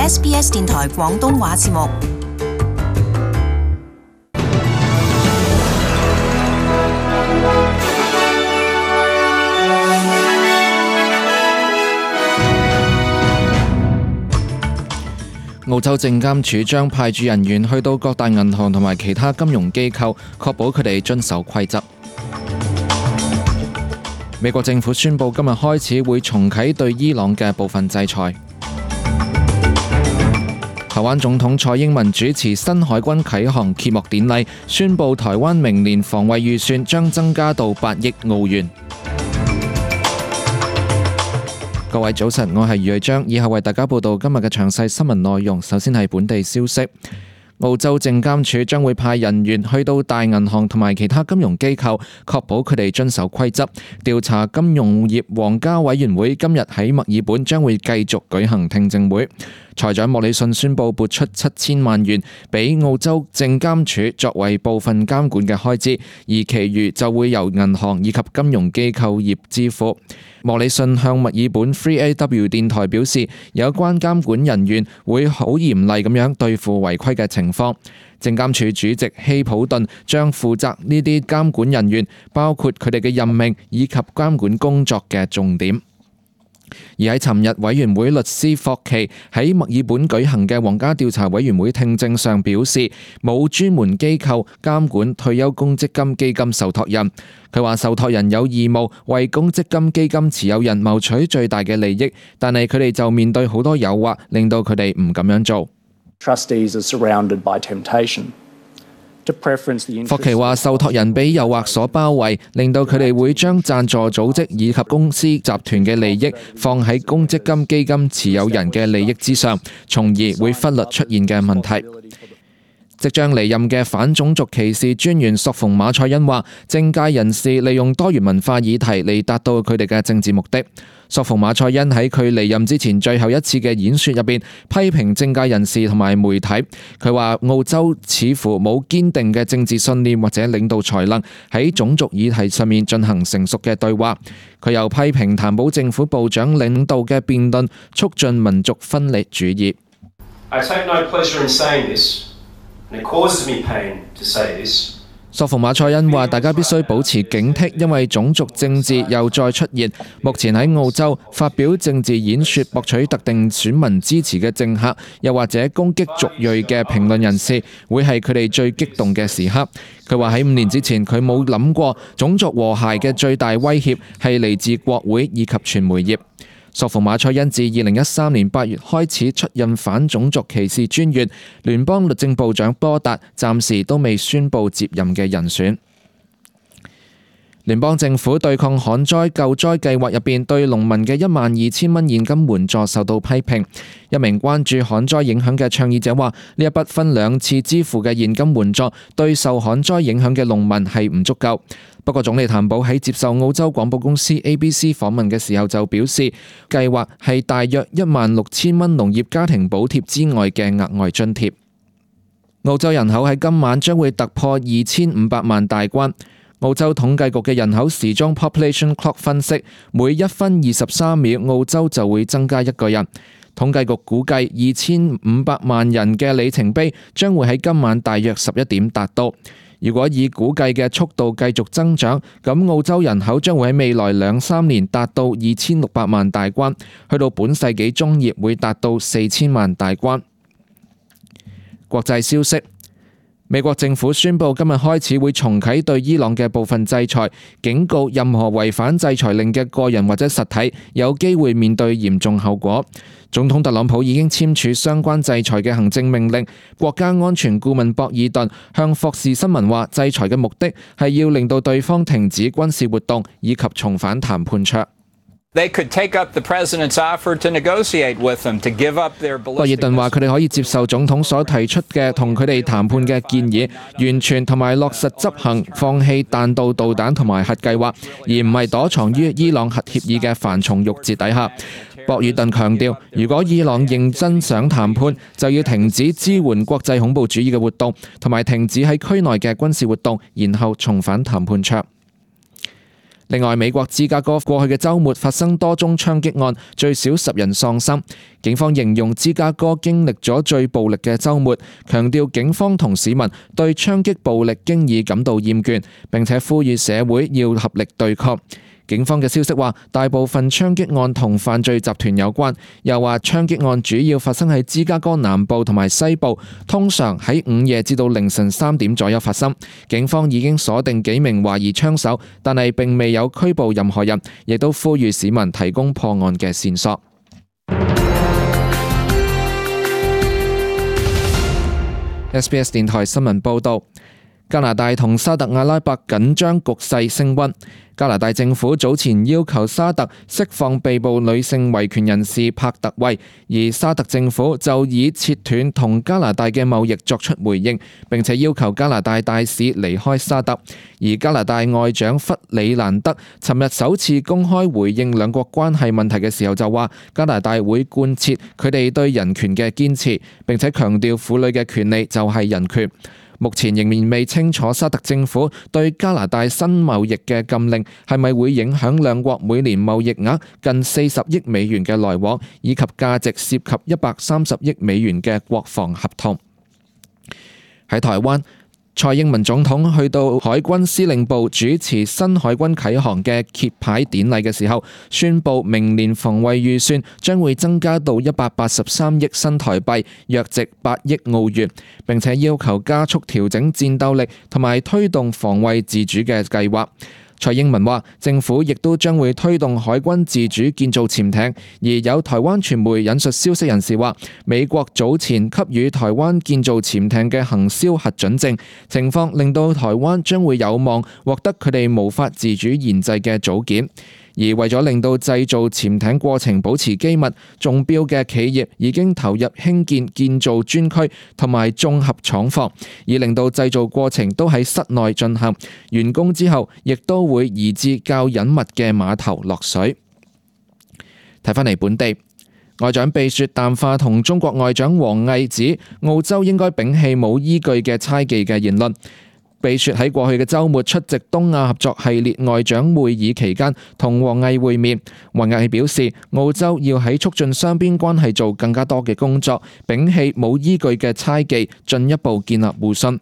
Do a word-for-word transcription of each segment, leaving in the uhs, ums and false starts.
S B S 電台廣東話節目。澳洲證監處將派駐人員去到各大銀行同埋其他金融機構，確保佢哋遵守規則。美國政府宣布今日開始會重啟對伊朗嘅部分制裁。台灣總統蔡英文主持新海軍啟航揭幕典禮，宣布台灣明年防衛預算將增加到八億澳元。各位早晨，我係余瑞章，以後為大家報道今日嘅詳細新聞內容。首先係本地消息，澳洲證監處將會派人員去到大銀行同埋其他金融機構，確保佢哋遵守規則。調查金融業皇家委員會今日喺墨爾本將會繼續舉行聽證會。財長莫里遜宣布撥出七千萬元俾澳洲證監處作為部分監管嘅開支，而其餘就會由銀行以及金融機構業支付。莫里遜向墨爾本 三 A W 電台表示，有關監管人員會好嚴厲咁樣對付違規嘅情況。證監處主席希普頓將負責呢啲監管人員，包括佢哋嘅任命以及監管工作嘅重點。而喺尋日，委員會律師霍奇喺墨爾本舉行嘅皇家調查委員會聽證上表示，冇專門機構監管退休公積金基金受託人。佢話受託人有義務為公積金基金持有人謀取最大嘅利益，但係佢哋就面對好多誘惑，令到佢哋唔咁樣做。Trustees are surrounded by temptation. 霍奇話受託人俾誘惑所包圍，令到佢哋會將贊助組織以及公司集團嘅利益放喺公積金基金持有人嘅利益之上，從而會忽略出現嘅問題。即將離任嘅反種族歧視專員索馮馬賽恩話，政界人士利用多元文化議題嚟達到佢哋嘅政治目的。索馮馬賽恩喺佢離任之前最後一次嘅演說入邊，批評政界人士同埋媒體。佢話澳洲似乎冇堅定嘅政治信念或者領導才能喺種族議題上面進行成熟嘅對話。佢又批評譚寶政府部長領導嘅辯論促進民族分裂主義。I take no pleasure in saying this, and it causes me pain to say this.索馮馬賽恩話：大家必須保持警惕，因為種族政治又再出現。目前喺澳洲發表政治演說博取特定選民支持嘅政客，又或者攻擊族裔嘅評論人士，會係佢哋最激動嘅時刻。佢話喺五年之前，佢冇諗過種族和諧嘅最大威脅係嚟自國會以及傳媒業。索馮馬賽恩自二零一三年八月開始出任反種族歧視專員，聯邦律政部長波達暫時都未宣布接任嘅人選。聯邦政府對抗旱災救災計劃入邊對農民嘅一萬二千蚊現金援助受到批評。一名關注旱災影響嘅倡議者話：呢一筆分兩次支付嘅現金援助對受旱災影響嘅農民係唔足夠。不過總理譚寶喺接受澳洲廣播公司 A B C 訪問嘅時候就表示，計劃係大約一萬六千蚊農業家庭補貼之外嘅額外津貼。澳洲人口喺今晚將會突破二千五百萬大關。澳洲統計局嘅人口時鐘 Population Clock 分析，每一分二十三秒澳洲就會增加一個人。統計局估計二千五百萬人嘅里程碑將會喺今晚大約十一點達到。如果以估計嘅速度繼續增長，咁澳洲人口將會喺未來兩三年達到二千六百萬大關，去到本世紀中葉會達到四千萬大關。國際消息，美國政府宣布今日開始會重啟對伊朗嘅部分制裁，警告任何違反制裁令嘅個人或者實體有機會面對嚴重後果。總統特朗普已經簽署相關制裁嘅行政命令。國家安全顧問博爾頓向霍士新聞話，制裁嘅目的係要令到對方停止軍事活動以及重返談判桌。They could take up the president's offer to negotiate with them to give up their ballistic. 博爾頓話：佢哋可以接受總統所提出嘅同佢哋談判嘅建議，完全同埋落實執行，放棄彈道導彈同埋核計劃，而唔係躲藏於伊朗核協議嘅繁重鬱結底下。博爾頓強調，如果伊朗認真想談判，就要停止支援國際恐怖主義嘅活動，同埋停止喺區內嘅軍事活動，然後重返談判桌。另外，美國芝加哥過去嘅週末發生多宗槍擊案，最少十人喪生。警方形容芝加哥經歷咗最暴力嘅週末，強調警方同市民對槍擊暴力經已感到厭倦，並且呼籲社會要合力對抗。警方嘅消息話，大部分槍擊案同犯罪集團有關，又話槍擊案主要發生喺芝加哥南部同埋西部，通常喺午夜至到凌晨三點左右發生。警方已經鎖定幾名懷疑槍手，但係並未有拘捕任何人，亦都呼籲市民提供破案嘅線索。S B S 電台新聞報導。加拿大同沙特阿拉伯緊張局勢升溫。加拿大政府早前要求沙特釋放被捕女性維權人士帕特惠，而沙特政府就以切斷同加拿大嘅貿易作出回應，並且要求加拿大大使離開沙特。而加拿大外長弗里蘭德尋日首次公開回應兩國關係問題嘅時候就話，加拿大會貫徹佢哋對人權嘅堅持，並且強調婦女嘅權利就係人權。目前仍然未清楚沙特政府對加拿大新貿易嘅禁令係咪會影響兩國每年貿易額近四十億美元嘅來往，以及價值涉及一百三十億美元嘅國防合同。喺台灣，蔡英文總統去到海軍司令部主持新海軍啟航嘅揭牌典禮嘅時候，宣布明年防衛預算將會增加到一百八十三億新台幣，約值八億澳元，並且要求加速調整戰鬥力同埋推動防衛自主嘅計劃。蔡英文話，政府亦都將會推動海軍自主建造潛艇，而有台灣傳媒引述消息人士話，美國早前給予台灣建造潛艇嘅行銷核准證，情況令到台灣將會有望獲得佢哋無法自主研製嘅組件。而為咗令到製造潛艇過程保持機密，中標嘅企業已經投入興建建造專區同埋綜合廠房，以令到製造過程都喺室內進行。完工之後，亦都會移至較隱密嘅碼頭落水。睇返嚟本地，外長貝雪淡化同中國外長王毅指澳洲應該摒棄冇依據嘅猜忌嘅言論。貝雪喺過去嘅週末出席東亞合作系列外長會議期間，同王毅會面。王毅表示，澳洲要喺促進雙邊關係做更加多嘅工作，摒棄冇依據嘅猜忌，進一步建立互信。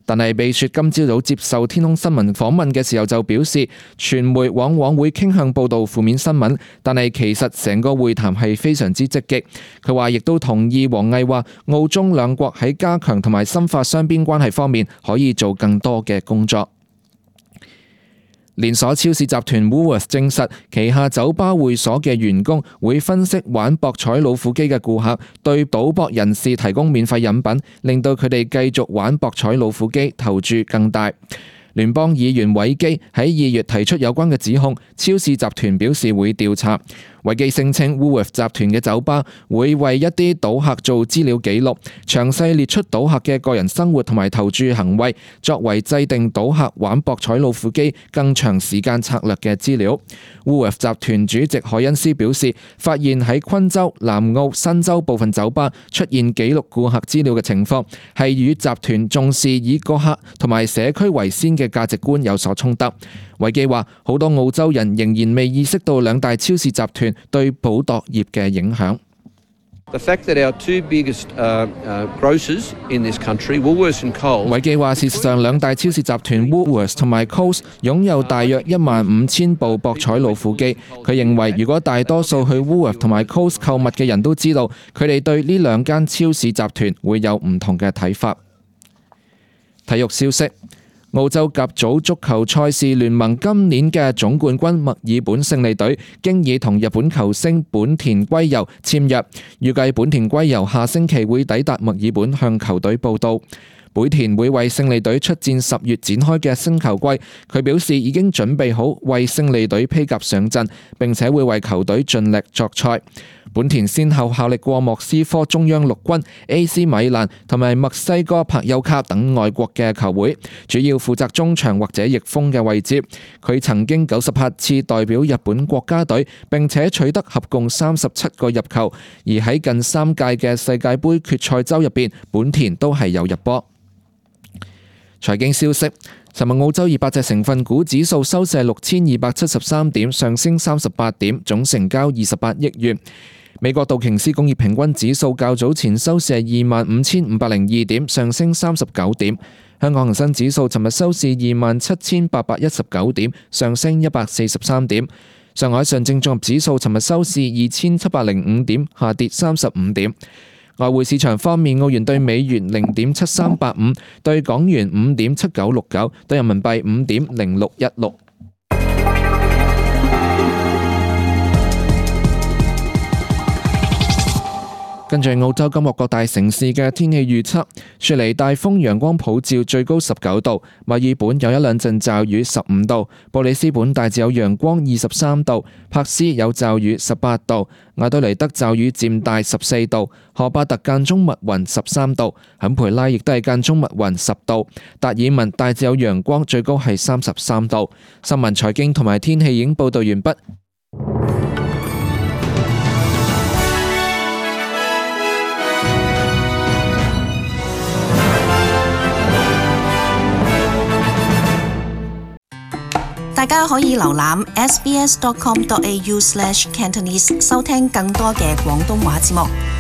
但係貝雪今朝早接受天空新聞訪問嘅時候就表示，傳媒往往會傾向報導負面新聞，但係其實成個會談係非常之積極。佢話亦都同意王毅話，澳中兩國喺加強同埋深化雙邊關係方面可以做更多嘅工作。連鎖超市集團 Woolworths 證實，旗下酒吧會所嘅員工會分析玩博彩老虎機嘅顧客，對賭博人士提供免費飲品，令到佢哋繼續玩博彩老虎機，投注更大。聯邦議員韋基喺二月提出有關嘅指控，超市集團表示會調查。韋基聲稱 Woolworths 集團嘅酒吧會為一啲賭客做資料記錄，詳細列出賭客嘅個人生活同埋投注行為，作為制定賭客玩博彩老虎機更長時間策略嘅資料。Woolworths 集團主席海恩斯表示，發現喺昆州、南澳、新州部分酒吧出現記錄顧客資料嘅情況，係與集團重視以個客同埋社區為先嘅價值觀有所衝突。韋基話，好多澳洲人仍然未意識到兩大超市集團對賭博業嘅影響。The fact that our two biggest uh, uh, grocers in this country, Woolworths and Coles， 韋基話，事實上兩大超市集團 Woolworths 同埋 Coles 擁有大約一萬五千部博彩老虎機。佢認為，如果大多數去 Woolworths 同埋 Coles 購物嘅人都知道，佢哋對呢兩間超市集團會有唔同嘅睇法。體育消息。澳洲甲組足球賽事聯盟今年嘅總冠軍墨爾本勝利隊經已同日本球星本田圭佑簽約，預計本田圭佑下星期會抵達墨爾本向球隊報到。本田會為勝利隊出戰十月展開嘅新球季，佢表示已經準備好為勝利隊披甲上陣，並且會為球隊盡力作賽。本田先後效力過莫斯科中央陸軍、A C 米蘭同埋墨西哥柏丘卡等外國嘅球會，主要負責中場或者翼鋒嘅位置。佢曾經九十八次代表日本國家隊，並且取得合共三十七個入球，而喺近三屆嘅世界盃決賽周入邊，本田都係有入波。財經消息，尋日澳洲二百隻成分股指數收市六千二百七十三點，上升三十八點，總成交二十八億元。美國道瓊斯工業平均指數較早前收市係二萬五千五百零二點，上升三十九點。香港恒生指數尋日收市二萬七千八百一十九點，上升一百四十三點。上海上證綜合指數尋日收市二千七百零五點，下跌三十五點。外匯市場方面，澳元對美元零點七三八五，對港元五點七九六九，對人民幣五點零六一六。跟住澳洲今日各大城市嘅天氣預測：雪梨大風陽光普照，最高十九度；墨爾本有一兩陣驟雨，十五度；布里斯本大致有陽光，二十三度；珀斯有驟雨，十八度；亞德雷德驟雨漸大，十四度；荷巴特間中密雲，十三度；坎培拉亦都係間中密雲，十度；達爾文大致有陽光，最高係三十三度。新聞、財經同埋天氣已經報道完畢。大家可以瀏覽 s b s dot com dot a u slash cantonese 收聽更多嘅廣東話節目。